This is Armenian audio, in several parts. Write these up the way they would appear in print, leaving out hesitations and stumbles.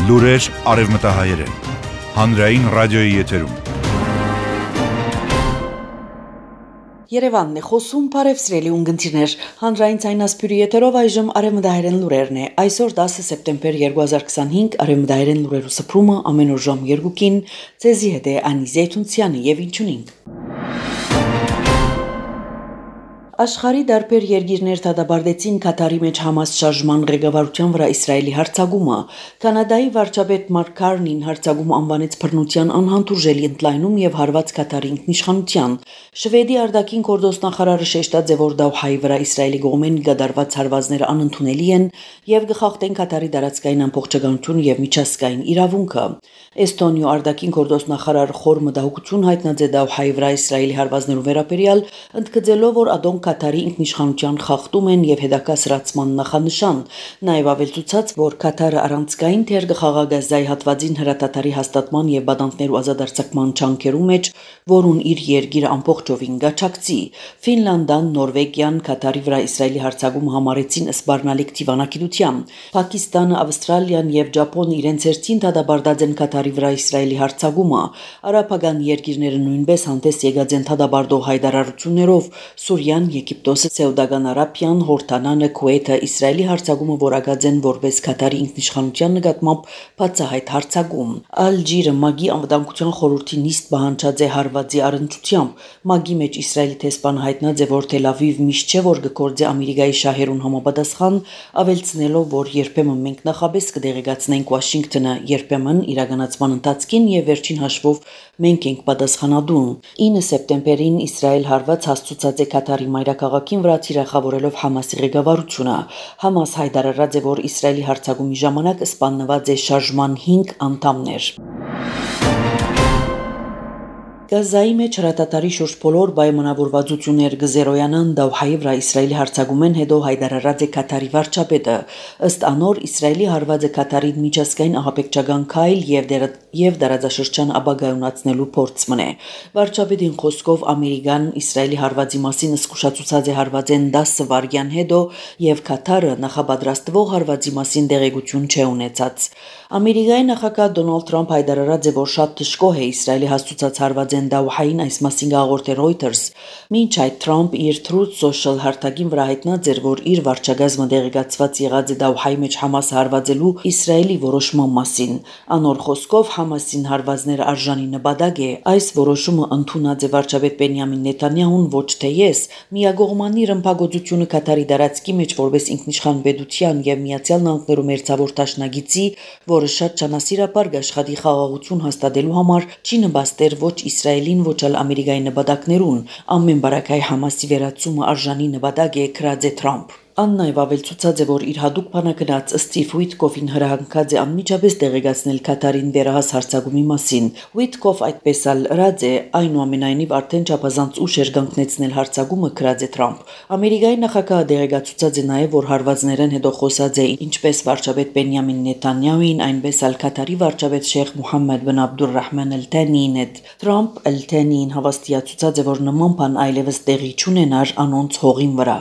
Լուրեր արևմտահայերեն, հանրային ռադիոյի եթերում։ Երևանն է խոսում, բարև սիրելի ունգընտիրներ, հանրային ցայնասպյուրի եթերով այժմ արևմտահայերեն լուրերն է։ Այսօր 10 սեպտեմբեր 2025 արևմտահայերեն լուրերու սփռումը ամեն օր ժամ 2-ին ցեզի հետ է Անի Զեյթունցյանը եւ ինչունին։ Աշխարհի դարբեր երկիրներ դադարեցին Կատարի մեջ Համաս շարժման ղեկավարության վրա Իսրայելի հարձակումը։ Կանադայի վարչապետ Մարկ Քարնին հարձակումը անվանեց բռնության անհանդուրժելի ընդլայնում եւ հարված Կատարի ինքնիշխանության։ Շվեդի արտաքին գործոստնախարարը շեշտած է, որ Դոհայի վրա Իսրայելի կողմեն գդարված հարվածները անընդունելի են եւ գխախտեն Կատարի դարածքային ամբողջականություն եւ միջազգային իրավունքը։ Էստոնիա արտաքին գործոստնախարար խոր մտահոգություն հայտնած է Դոհայի վրա Իսրայելի հարվածներու վերաբերյալ, ընդգծելով, որ ադոն Կատարի ինքնիշխանության խախտում են եւ հետագա սրացման նախանշան, նաեւ ավելցուցած, որ Կատարը առանցքային թեր կխաղա հատվածին հրատատարի հաստատման եւ բադանտներու ազատարձակման չանքերու մեջ, որուն իր երկիրը ամբողջովին գաչակցի։ Ֆինլանդան, Նորվեգիան Կատարի վրա Իսրայելի հարձակումը համարեցին սպառնալիք դիվանագիտությամբ։ Պակիստանը, Ավստրալիան եւ Ճապոնը իրենց հերթին դադարած են Կատարի վրա Իսրայելի հարձակումը։ Արաբական երկիրները նույնպես հանդես եկած են դադարող հայտարարություններով։ Սուրիան, Եգիպտոսը, Սաուդական Արաբիան, Հորդանանը, Քուվեյթը Իսրայելի հարձակումը որակած են որպես Կատարի ինքնիշխանության նկատմամբ բացահայտ հարձակում։ Ալժիրը ՄԱԳ-ի անվտանգության խորհրդի նիստ պահանջած է հարվածի առընչությամբ։ ՄԱԳ-ի մեջ Իսրայելի տեսփանը հայտնած է, որ Թել Ավիվ միշտ չէ որ գործի Ամերիկայի շահերուն համապատասխան, ավելցնելով, որ երբեմն մենք նախաբես կդեղեկացնենք Վաշինգտոնը, երբեմն իրականացման ընթացքին եւ վերջին հաշվով մենք ենք պատասխանատու։ 9 սեպտեմբերին Իսրայել հարված հաստուցած է Կատարի մայրաքաղաքին վրա թիրախավորելով Համասի ղեկավարությունը։ Համաս հայտարարած է, որ Իսրայելի հարձակումի ժամանակ սպանված է շարժման 5 անդամներ։ Գազայի մեջ հրատատարի շուրջ բոլոր պայմանավորվածություններ կզերոյանան Դոհայի վրա Իսրայելի հարձակումեն հետո հայտարարած է Կատարի վարչապետը։ Ըստ անոր Իսրայելի հարվածը Կատարին միջազգային ահաբեկչական քայլ եւ դարաձաշրջան ապագայունացնելու փորձ մնե։ Վարչապետին խոսքով Ամերիկան Իսրայելի հարվածի մասին զսկուշացուցած է հարվածեն 10 վայրկյան հետո եւ Կատարը նախապատրաստվող հարվածի մասին դեղեցություն չէ ունեցած։ Ամերիկայի նախագահ Դոնալդ Թրամփ հայտարարած է, որ շատ դժգոհ է Իսրայելի հաստուցած հարվածեն Դոհային այս մասին գաղորդել Reuters։ Մինչ այդ Թրամփ իր Truth Social հարթակին վրա հայտնած էր, որ իր վարչագազմը դեղեկացված եղած է Դոհայի մեջ Համասը հարվածելու Իսրայելի որոշման մասին։ Անոր խոսքով Համասին հարվածները արժանի նպատակ է։ Այս որոշումը ընդունած է վարչապետ Բենյամին Նեթանյահուն, ոչ թե ես։ Միագողմանի ռմբակոծությունը Կատարի դարածքի մեջ որպես ինքնիշխան պետության եւ Միացյալ Նահանգներու մերձավոր դաշնակիցի, որը շատ ճանասիրաբար աշխատի խաղաղություն հաստատելու համար, չի նպաստեր ոչ Իսրայելին, ոչ էլ Ամերիկայի նպատակներուն։ Ամեն բարակայ Համասի վերացումը արժանի նպատակ է, գրած է Թրամփ։ Աննայվ ավելցուցած է, որ իր հadoop բանակնած Ստիվ Ուիտկոֆին հրահանգած է անմիջապես դեղեկացնել Կատարին վերահաս հարձակումի մասին։ Ուիտկոֆ այդպես էլ ըրած է, այնուամենայնիվ արդեն չափազանց ուշ էր կանգնեցնել հարձակումը, գրած է Թրամփ։ Ամերիկայի նախագահը դեղեկացուցած է նաև, որ հարվածներեն հետո խոսած է ինչպես վարչապետ Բենյամին Նեթանյահուին, այնպես էլ Կատարի վարչապետ Շեյխ Մուհամմեդ բն Աբդուռահման Ալ-Թանիին հետ։ Թրամփ Ալ-Թանիին հավաստիացուցած է, որ նման բան այլևս տեղի չունենար անոնց հողին վրա։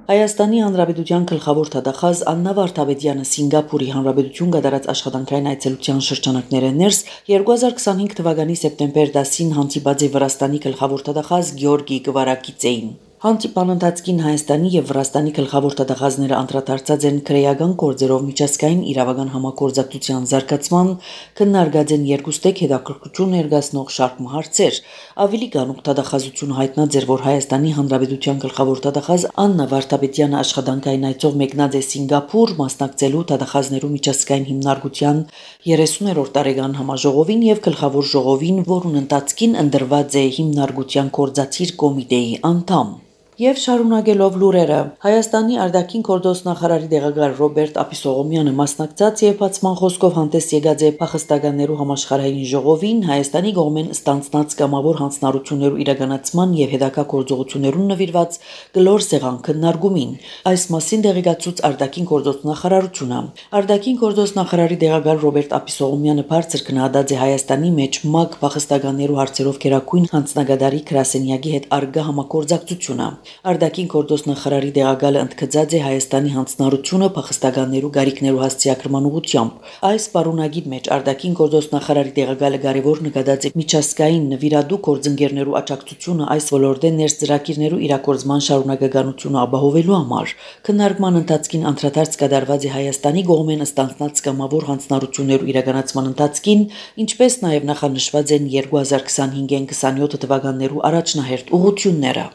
Հայաստանի Հանրապետության գլխավոր թագախազ Աննա Վարդապետյանը Սինգապուրի Հանրապետություն կատարած աշխատանքային այցելության շրջանակները ներս 2025 թվականի սեպտեմբեր 10-ին հանդիպած է Վրաստանի գլխավոր թագախազ Գյորգի Կվարակիցեին։ Հանդիպան ընթացքին Հայաստանի եւ Վրաստանի գլխավոր թագախազները անդրադարձած են քրեական գործերով միջազգային իրավական համագործակցության զարգացման, քննարկած են երկուստեք հետաքրքրություն ներկայացնող շարք հարցեր։ Ավելի գանուկ թագախազությունը հայտնած էր, որ Հայաստանի Հանրապետության գլխավոր թագախազ Աննա Վարդապետյանը աշխատանքային այցով մեկնած է Սինգապուր, մասնակցելու թագախազներու միջազգային հիմնարկության 30-րդ տարեկան համաժողովին եւ գլխավոր ժողովին, որուն ընթացքին ընտրված է հիմնարկության կորզացիր կոմիտեի անդամ։ Եվ շարունակելով լուրերը, Հայաստանի արտաքին գործոստնախարարի տեղակալ Ռոբերտ Ապիսողոմյանը մասնակցած եւ բացման խոսքով հանդես եկած է փախստականներու համաշխարհային ժողովին Հայաստանի կողմեն ստանցնած կամավոր հանձնառություններու իրականացման եւ հետագա գործողություններուն նվիրված գլոր սեղան քննարկումին։ Այս մասին դեղեկացուց արտաքին գործոստնախարարությունը։ Արտաքին գործոստնախարարի տեղակալ Ռոբերտ Ապիսողոմյանը բարձր գնահատած է Հայաստանի մեջ ՄԱԿ փախստականներու հարցերով քերակույն հանձնագետարի Գրասենյակի հետ արգա համագործակցությունը։ Արտաքին գործոստ նախարարի դեղագալը ընդգծած է Հայաստանի հանձնառությունը փախստականներու գարիքներու հասցեակրման ուղղությամբ։ Այս պարունագիր մեջ արտաքին գործոստ նախարարի դեղագալը կարևոր նկատած է միջազգային նվիրատու գործընկերներու աջակցությունը այս ոլորտեն ներս ծրագիրներու իրագործման շարունակականությունը ապահովելու համար։ Քննարկման ընթացքին անդրադարձ կատարված է Հայաստանի կողմեն ստանձնած կամավոր հանձնառություններու իրականացման ընթացքին, ինչպես նաև նախանշված են 2025-27 թվականներու առաջնահերթ ուղղությունները։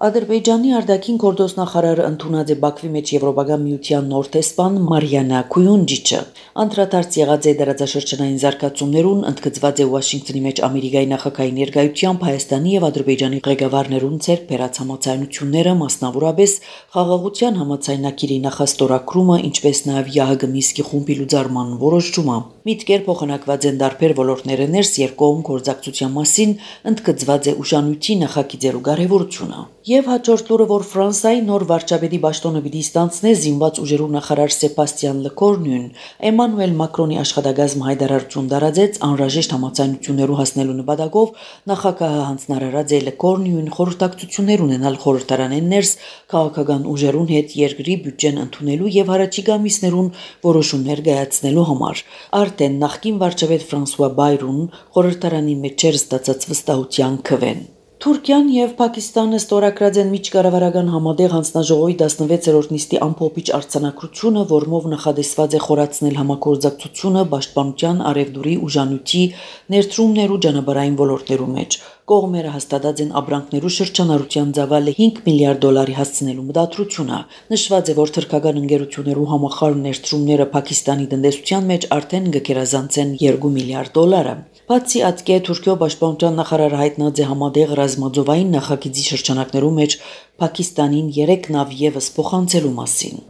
Ադրբեջանի արտաքին գործոստ նախարարը ընդունած է Բաքվի մեջ Եվրոպական միության նոր տեսփան Մարիանա Քույունջիչը։ Անդրադարձ եղած է դարաձաշրջանային զարգացումներուն, ընդգծված է Վաշինգտոնի մեջ Ամերիկայի նախագահի ներկայությամբ Հայաստանի եւ Ադրբեջանի ղեկավարներուն ցերկ բերած համաձայնությունները, մասնավորապես խաղաղության համաձայնագիրի նախաստորագրումը, ինչպես նաև ՀՀԳ Միսկի խումբի լուծարման որոշումը։ Միտքեր փոխանակված են տարբեր ոլորտները ներս երկկողմ գործակցության մասին, ընդգծված է ուժանույթի նախագիծերու կարևորությունը։ Եվ հաջորդ լուրը, որ Ֆրանսիայի նոր վարչապետի պաշտոնը պիտի ստանձնե զինված ուժերու նախարար Սեբաստիան Լեկորնյուն, Էմանուել Մակրոնի աշխատակազմը հայտարարություն տարածեց անհրաժեշտ համաձայնություններու հասնելու նպատակով նախագահը հանձնարարած է Լեկորնյուն խորհրդակցություններ ունենալ խորհրդարանեն ներս քաղաքական ուժերուն հետ երկրի բյուջեն ընդունելու եւ առաջիկա ամիսներուն որոշումներ կայացնելու համար։ Արդեն նախկին վարչապետ Ֆրանսուଆ Բայրուն խորհրդարանի մեջ ստացած վստահության քվեն։ Թուրքիան եւ Պակիստանը ստորագրած են միջկառավարական համատեղ հանձնաժողովի 16-րդ նիստի ամփոփիչ արձանագրությունը, որմով նախադեсված է խորացնել համագործակցությունը պաշտպանության, արևդուրի, ուժանույթի, ներդրումներու ճանապարհային ոլորտներու մեջ։ Կողմերը հաստատած են ապրանքներու շրջանառության ծավալը $5 միլիարդ հասցնելու մտադրությունը։ Նշված է, որ թուրքական ընկերություններու համախառն ներդրումները Պակիստանի տնտեսության մեջ արդեն կգերազանցեն $2 միլիարդ։ Բացի այդ, Թուրքիո պաշտպանության նախարարը հայտնած է համատեղ ռազմաձովային նախագիծի շրջանակներու մեջ Պակիստանին 3 նավ եւս փոխանցելու մասին։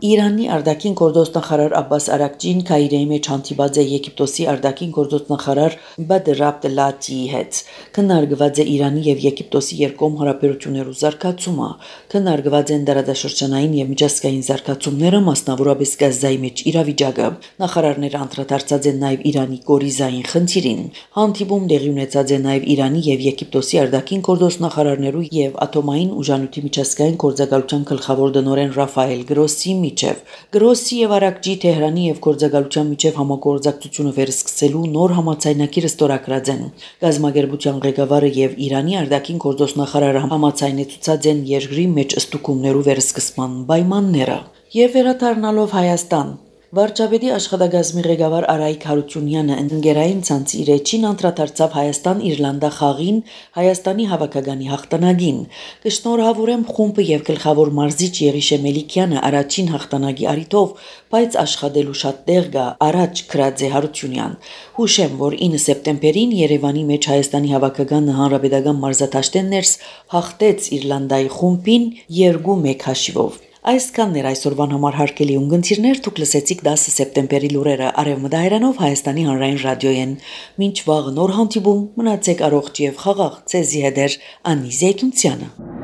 Իրանի արտաքին գործոստ նախարար Աբբաս Արաքչին Կայրեի մեջ հանդիպած է Եգիպտոսի արտաքին գործոստ նախարար Բադր Աբդելատիի հետ։ Քննարկված է Իրանի եւ Եգիպտոսի երկկողմ հարաբերություններու զարգացումը, քննարկված են դարաշրջանային եւ միջազգային զարգացումները, մասնավորապես Գազայի մեջ իրավիճակը։ Նախարարները անդրադարձած են նաեւ Իրանի կորիզային խնդիրին։ Հանդիպում տեղի ունեցած է նաեւ Իրանի եւ Եգիպտոսի արտաքին գործոստ նախարարներու եւ ատոմային ուժանույթի միջազգային գործակալության գլխավոր տնօրեն Ռաֆայել Գրոսի Գրոսի եւ Արաքչի Թեհրանի եւ գործակալության միջև համագործակցությունը վերսկսելու նոր համաձայնագիրը ստորագրած են։ Գազագերբության ղեկավարը եւ Իրանի արտաքին գործոստ նախարարը համաձայնեցուցած են երկրի մեջ ստուգումներու վերսկսման պայմանները։ Եվ վերադառնալով Հայաստան, վարչապետի աշխատակազմի ղեկավար Արայիկ Հարությունյանը ընկերային ցանցի իր էջին անդրադարձավ Հայաստան-Իռլանդա խաղին Հայաստանի հավաքականի հաղթանակին։ Կշնորհավորեմ խումբը եւ գլխավոր մարզիչ Եղիշե Մելիքյանը առաջին հաղթանակի առիթով, բայց աշխատելու շատ տեղ կա, առաջ գրած է Հարությունյան։ Հուշեմ, որ 9 սեպտեմբերին Երևանի մեջ Հայաստանի հավաքականը հանրապետական մարզադաշտեն ներս հաղթեց Իռլանդայի խումբին 2-1 հաշիվով։ Այսքանն էր այսօրվան համար հարգելի ունգընտիրներ, դուք լսեցիք 10 սեպտեմբերի լուրերը Արևմտահայրանով Հայաստանի հանրային ռադիոյեն։ Մինչ վաղ նոր հանդիպում, մնացեք առողջ եւ խաղաղ, ցեզի հետ Անի Զեյթունցյանը։